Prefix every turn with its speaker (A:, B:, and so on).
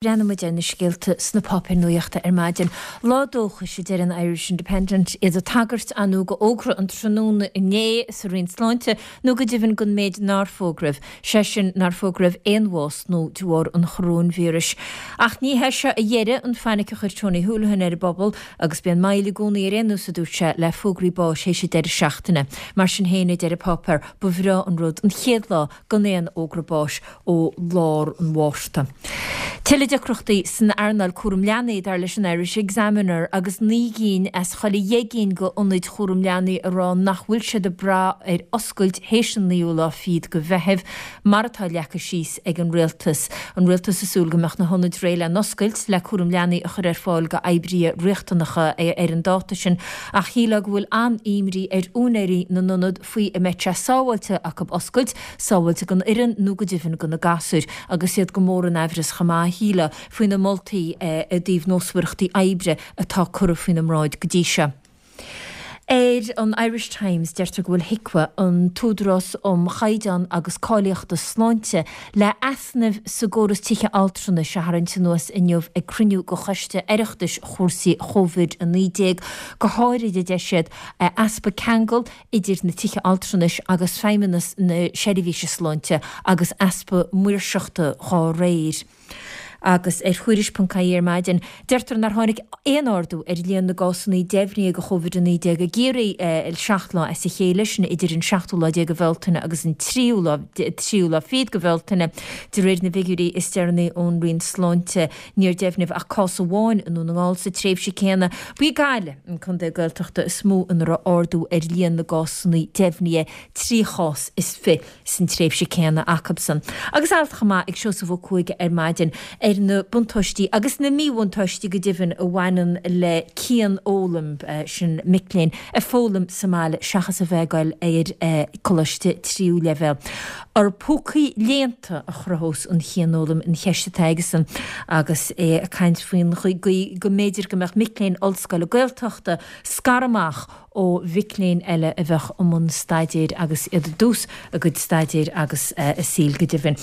A: Breathnaíonn muid ar na scéalta sna páipéir nuachta ar maidin. Lá dóchais, a deir an Irish Independent, iad ag tagairt ar ndóigh go fhógra an tráthnóna inné sa Roinn Sláinte nó go deimhin don méid nár fógraíodh, sé sin nár fógraíodh aon bhás nua de bharr an choróinvíris. Ach ní hé seo a dheireadh an fainic a chuir Tony Holohan ar an bpobal agus bíonn moill i gcónaí ar aon nós a dúirt sé le fógraí báis théis an deireadh seachtaine. Mar sin féin, a deir an páipéar, ba bhreá an rud an chéad lá gan aon fhógra báis ó lár an Mhárta. Tuilleadh deacrachtaí san earnáil cúram leanaí, dar leis an Irish Examiner, agus 9 gcinn as chuile dheich gcinn de ionaid chúram leanaí ag rá nach bhfuil siad ag brath ar oscailt théis an naoú lá fichead de Mheitheamh, mar atá leagtha síos ag an Rialtas. An Rialtas ag súil go mbeadh na hionaid réidh le n-oscailt le cúram leanaí a chur ar fáil d'oibrithe riachtanacha ar an dáta sin, ach shílfeá go bhfuil an-imní ar úinéirí na n-ionad faoi an mbeidh sé sábháilte acu oscailt, sábháilte don fhoireann nó go deimhin do na gasúir, agus iad go mór in aimhreas chomh maith, shílfeá, faoi na moltaí i dtaobh nósmhaireachtaí oibre atá curtha faoina mbráid go dtí seo. Ar an Irish Times, deirtear go bhfuil HIQA, an tÚdarás um Chaighdeán agus Cáilíochta Sláinte, le easnaimh sa gcóras tithe altranais a tharraingt anuas inniu ag cruinniú de Choiste Oireachtais chúrsaí Covid-19, go háirid, a deir siad, easpa ceangal idir na tithe altranais agus Feidhmeannas na Seirbhíse Sláinte agus easpa maoirseachta dhá réir. Agus ar Thuairisc.ie ar maidin, deirtear nár tháinig aon ardú ar líon na gcásanna deimhnithe de Covid-19 i gCiarraí 7 lá as a chéile, sin idir an seachtú lá déag de Bhealtaine agus an tríú lá tríú lá fichead de Bhealtaine, de réir na bhfigiúirí is deireanaí ón Roinn Sláinte. Níor deimhníodh ach cás amháin i nDún na nGall sa tréimhse céanna. Ba í Gaillimh an contae Gaeltachta is mó ina raibh ardú ar líon na gcásanna deimhnithe, 23 chás san tréimhse céanna acusan. Agus alt chomh maith ag Seosamh Ó Cuaig ar maidin ar na buntáistí agus na míbhuntáistí go deimhin a bhaineann le cianfhoghlaim, sin mic léinn ag foghlaim sa mbaile seachas a bheith ag goil ar coláiste tríú leibhéal. Ar púcaí léannta a chruthós an chianfhoghlaim an cheist atá aigesan agus é ag caint faoin gcaoi go mb'fhéidir go mbeadh mic léinn ollscoile Gaeltachta scartha amach ó mhic léinn eile a bheadh i mbun staidéir agus iad i dtús a gcuid staidéir agus a saoil go deimhin.